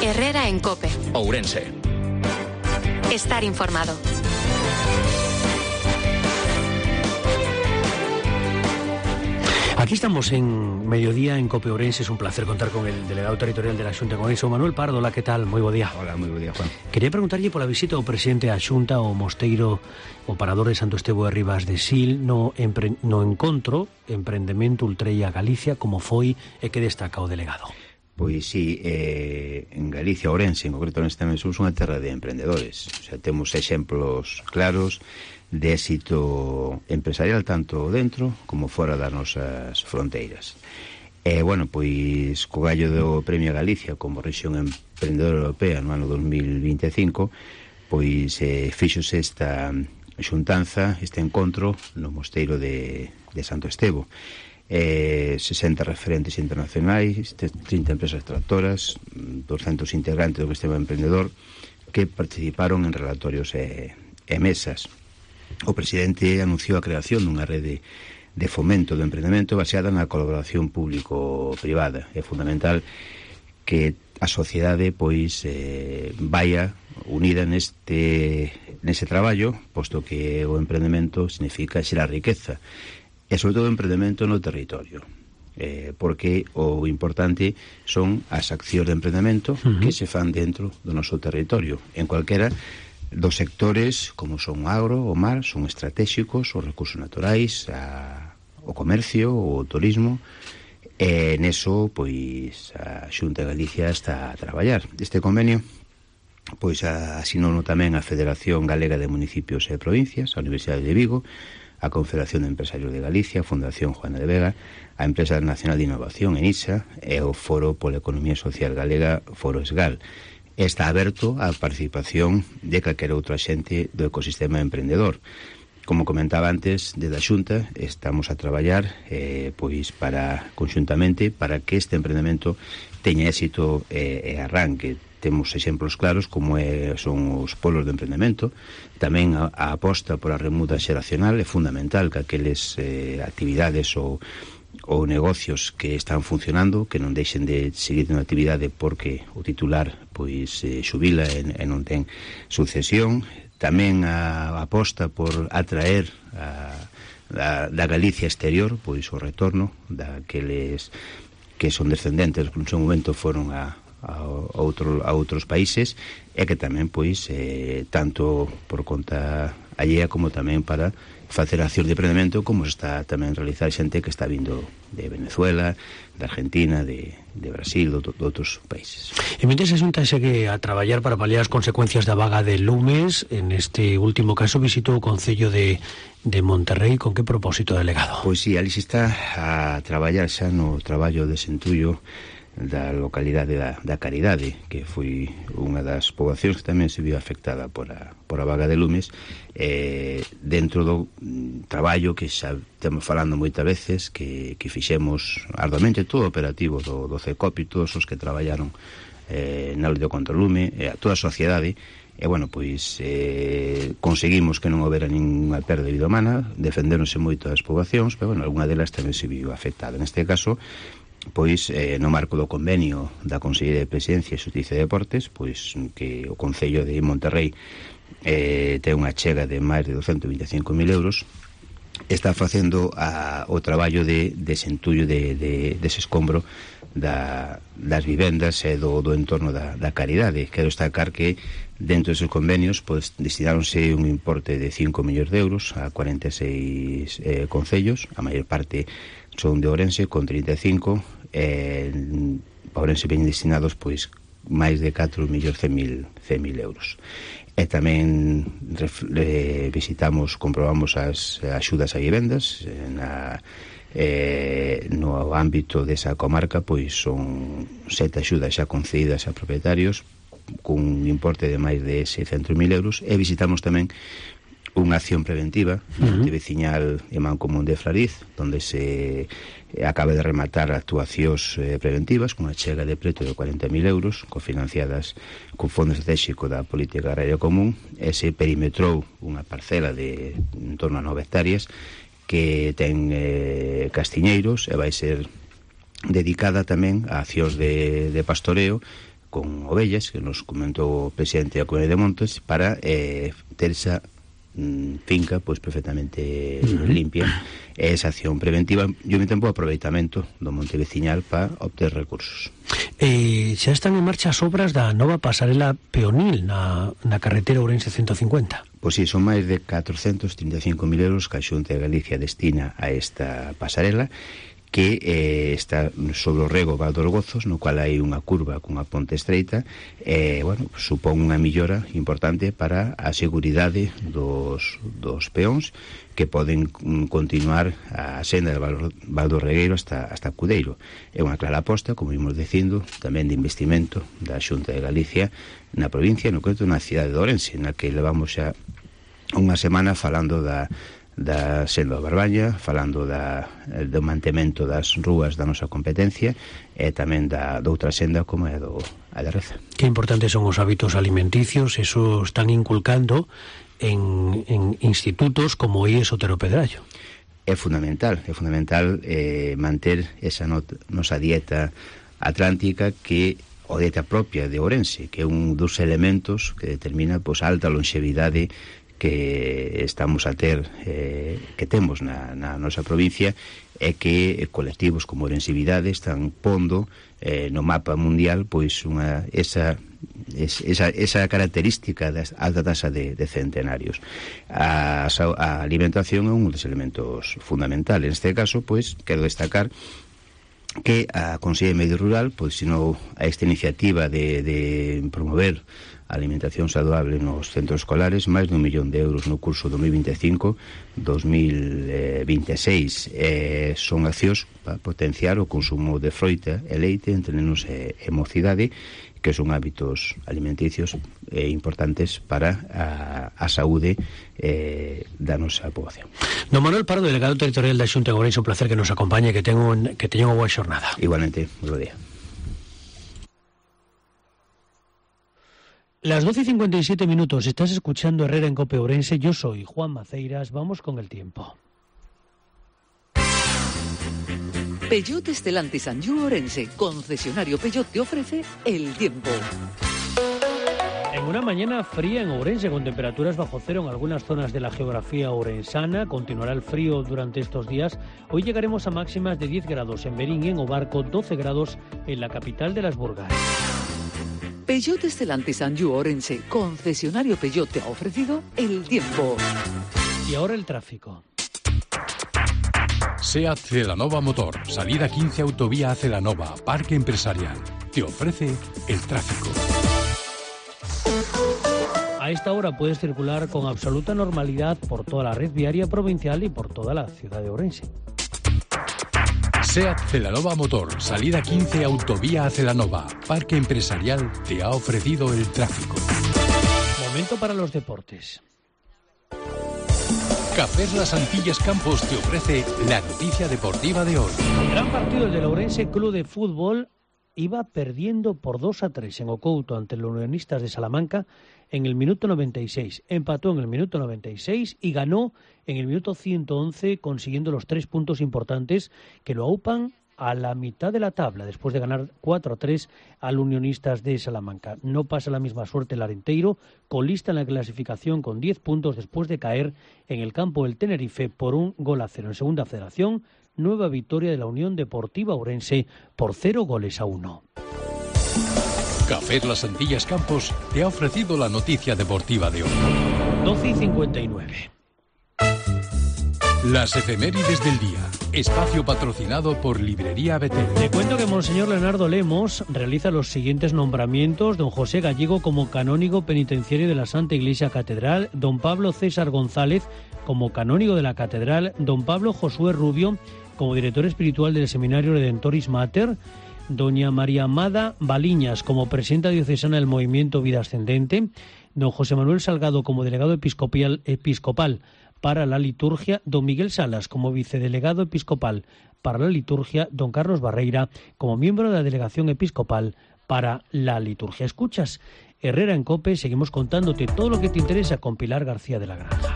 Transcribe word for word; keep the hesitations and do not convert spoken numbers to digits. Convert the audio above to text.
Herrera en COPE. Ourense. Estar informado. Aquí estamos en Mediodía en COPE Ourense. Es un placer contar con el delegado territorial de la Xunta con eso, Manuel Pardo. Hola, ¿qué tal? Moi bo día. Hola, moi bo día, Juan. Quería preguntarlle pola visita ao presidente da Xunta, o mosteiro, o parador de Santo Estevo de Ribas de Sil, no, empre, no encontro Emprendemento Ultreia Galicia, como foi e que destaca o delegado. Pois sí, eh, en Galicia, Ourense, en concreto neste tamén somos unha terra de emprendedores. O sea, temos exemplos claros de éxito empresarial tanto dentro como fora das nosas fronteiras. E, bueno, pois, co gallo do Premio Galicia como rexión emprendedora europea no ano dos mil vinte e cinco, pois eh, fíxose esta xuntanza, este encontro no mosteiro de, de Santo Estevo. Eh, sesenta referentes internacionais, trinta empresas tractoras, doscientos integrantes do sistema emprendedor que participaron en relatorios e, e mesas. O presidente anunciou a creación dunha rede de fomento do emprendemento baseada na colaboración público-privada. É fundamental que a sociedade pois eh, vaya unida neste nese traballo, posto que o emprendemento significa xerar riqueza e sobre todo o emprendemento no territorio. Eh, porque o importante son as accións de emprendemento uh-huh. que se fan dentro do noso territorio. En cualquera dos sectores, como son o agro, o mar, son estratégicos, os recursos naturais, a, o comercio, o turismo, e neso, pois, a Xunta de Galicia está a traballar. Este convenio, pois, asinou tamén a Federación Galega de Municipios e Provincias, a Universidade de Vigo, a Confederación de Empresarios de Galicia, a Fundación Juana de Vega, a Empresa Nacional de Innovación, ENISA, e o Foro pola Economía Social Galega, Foro ESGAL. Está aberto á participación de calquera outro axente do ecosistema emprendedor. Como comentaba antes, desde a Xunta estamos a traballar eh, pois para conxuntamente para que este emprendemento teña éxito e eh, arranque. Temos exemplos claros como é, son os polos de emprendemento. Tamén a, a aposta por a remuda xeracional é fundamental que aqueles eh, actividades ou ou negocios que están funcionando, que non deixen de seguir na actividade porque o titular pois eh, xubila e, e non ten sucesión. Tamén a, a aposta por atraer a, a, da Galicia exterior, pois o retorno daqueles que son descendentes que no seu momento foron a, a, a, outro, a outros países, e que tamén pois eh, tanto por conta allea como tamén para facer accións de emprendemento, como está tamén realizar xente que está vindo de Venezuela, de Argentina, de, de Brasil, de, de outros países. E mentres a Xunta segue a traballar para paliar as consecuencias da vaga de lumes, en este último caso visitou o Concello de, de Monterrey. Con que propósito, delegado? Pois sí, ali se está a traballar xa no traballo de xentullo da localidade da, da Caridade, que foi unha das poboacións que tamén se viu afectada por a, por a vaga de lumes, eh, dentro do mm, traballo que xa estamos falando moitas veces, que, que fixemos arduamente todo o operativo do, do CECOPI, todos os que traballaron eh, na loita contra o lume, eh, a toda a sociedade. E, bueno, pois eh, conseguimos que non houbera ninguna perda de vida humana, defenderonse moito as poboacións, pero, bueno, alguna delas tamén se viu afectada. Neste caso, pois eh, no marco do convenio da Consellería de Presidencia e Xustiza e Deportes, pois que o Concello de Monterrey eh, ten unha chega de máis de douscentos e vinte e cinco mil euros, está facendo a, o traballo de, de xentullo de, de, dese escombro da, das vivendas e do, do entorno da, da Caridade. Quero destacar que dentro deses convenios pois, destináronse un importe de cinco millóns de euros a cuarenta e seis eh, concellos, a maior parte son de Ourense con trinta e cinco, e a Ourense veñen destinados pois máis de catro millóns cen mil euros. E tamén eh, visitamos, comprobamos as axudas a vivendas na, eh, no ámbito desa comarca, pois son sete axudas xa concedidas a propietarios cun importe de máis de seiscentos mil euros, e visitamos tamén unha acción preventiva uh-huh. de veciñal e Mancomún de Flariz, onde se acaba de rematar actuacións eh, preventivas con unha chega de preto de cuarenta mil euros, cofinanciadas con Fondo Estratégico da Política Agraria Común, e se perimetrou unha parcela de en torno a nove hectáreas que ten eh, castiñeiros, e vai ser dedicada tamén a accións de, de pastoreo con ovellas, que nos comentou o presidente da Comunidade de Montes, para eh, ter esa mm, finca pois perfectamente uh-huh. limpia, e esa acción preventiva e ao mesmo tempo o aproveitamento do monte veciñal para obter recursos. Eh, xa están en marcha as obras da nova pasarela peonil na, na carretera Ourense ciento cincuenta. Pois si, son máis de catrocentos trinta e cinco mil euros que a Xunta de Galicia destina a esta pasarela, que eh, está sobre o rego Val dos Gozos, no cual hai unha curva cunha ponte estreita, e, eh, bueno, supón unha millora importante para a seguridade dos, dos peóns que poden continuar a senda do Val, Val do Regueiro hasta, hasta Cudeiro. É unha clara aposta, como vimos dicindo, tamén de investimento da Xunta de Galicia na provincia, no concreto na cidade de Ourense, na que levamos xa unha semana falando da da senda da Barbaña, falando da, do mantemento das rúas da nosa competencia e tamén da, da outra senda como é do, a da Reza. Que importantes son os hábitos alimenticios, eso están inculcando en, en institutos como I E S Otero Pedrallo. É fundamental, é fundamental eh, manter esa not, nosa dieta atlántica que o dieta propia de Ourense, que é un dos elementos que determina pois, a alta longevidade que estamos a ter, eh, que temos na, na nosa provincia, é que colectivos como Ourensevidade están pondo eh, no mapa mundial pois unha esa esa, esa característica da alta tasa de, de centenarios. A, a alimentación é un dos elementos fundamentales. Neste caso, pois, quero destacar que a Consellería de Medio Rural pois, sinou a esta iniciativa de, de promover a alimentación saludable nos centros escolares, máis dun millón de euros no curso dos mil vinte e cinco dos mil vinte e seis. Eh, son accións para potenciar o consumo de froita e leite entre nenos e, e mocidade, que son hábitos alimenticios eh, importantes para a, a saúde eh, da nosa poboación. Don Manuel Pardo, delegado territorial da Xunta de Ourense, un placer que nos acompañe, que tengo, que teña unha boa xornada. Igualmente, bo día. Las doce y cincuenta y siete minutos, estás escuchando Herrera en Cope Ourense, yo soy Juan Maceiras, vamos con el tiempo. Peugeot Stellantis Anjou Ourense, concesionario Peugeot, te ofrece el tiempo. En una mañana fría en Ourense, con temperaturas bajo cero en algunas zonas de la geografía ourensana, continuará el frío durante estos días. Hoy llegaremos a máximas de diez grados en Berín y en Obarco, doce grados en la capital de las Burgas. Peugeot Stellantis Anjou Ourense, concesionario Peugeot, te ha ofrecido el tiempo. Y ahora el tráfico. SEAT Celanova Motor, salida quince autovía Celanova, Parque Empresarial. Te ofrece el tráfico. A esta hora puedes circular con absoluta normalidad por toda la red viaria provincial y por toda la ciudad de Ourense. SEAT Celanova Motor, salida quince autovía Celanova, Parque Empresarial, te ha ofrecido el tráfico. Momento para los deportes. Cafés Las Antillas Campos te ofrece la noticia deportiva de hoy. El gran partido del Ourense Club de Fútbol iba perdiendo por dos a tres en Ocouto ante los Unionistas de Salamanca en el minuto noventa y seis. Empató en el minuto noventa y seis y ganó en el minuto ciento once, consiguiendo los tres puntos importantes que lo aupan a la mitad de la tabla, después de ganar cuatro a tres al Unionistas de Salamanca. No pasa la misma suerte el Arenteiro, colista en la clasificación con diez puntos después de caer en el campo del Tenerife por un gol a cero. En segunda federación, nueva victoria de la Unión Deportiva Ourense por cero goles a uno. Cafés Las Antillas Campos te ha ofrecido la noticia deportiva de hoy. doce y cincuenta y nueve. Las efemérides del día. Espacio patrocinado por Librería Betel. Te cuento que Monseñor Leonardo Lemos realiza los siguientes nombramientos: don José Gallego como canónigo penitenciario de la Santa Iglesia Catedral, don Pablo César González como canónigo de la Catedral, don Pablo Josué Rubio como director espiritual del Seminario Redentoris Mater, doña María Amada Baliñas como presidenta diocesana del Movimiento Vida Ascendente, don José Manuel Salgado como delegado episcopal, episcopal para la liturgia, don Miguel Salas como vicedelegado episcopal para la liturgia, don Carlos Barreira como miembro de la delegación episcopal para la liturgia. Escuchas Herrera en Cope, seguimos contándote todo lo que te interesa con Pilar García de la Granja.